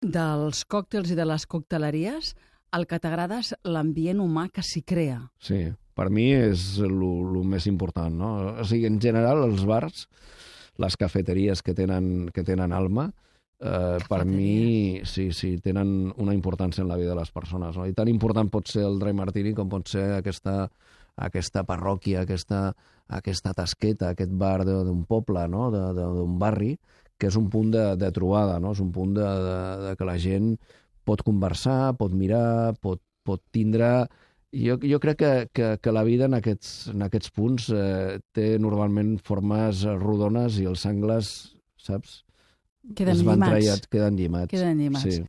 dels còctels i de les cocteleries, el que t'agrada és l'ambient humà que s'hi crea. Sí, per mi és el més important, no? O sigui, en general, els bars, les cafeteries que tenen alma, per mi, sí, tenen una importància en la vida de les persones, no? I tan important pot ser el Dry Martini com pot ser aquesta parròquia, aquesta tasqueta, aquest bar d'un poble, no? D'un barri, que és un punt de trobada, no? És un punt de que la gent pot conversar, pot mirar, pot tindre... Jo crec que la vida en aquests punts té normalment formes rodones i els angles, saps? Queden llimats. Queden llimats. Queden llimats. Sí.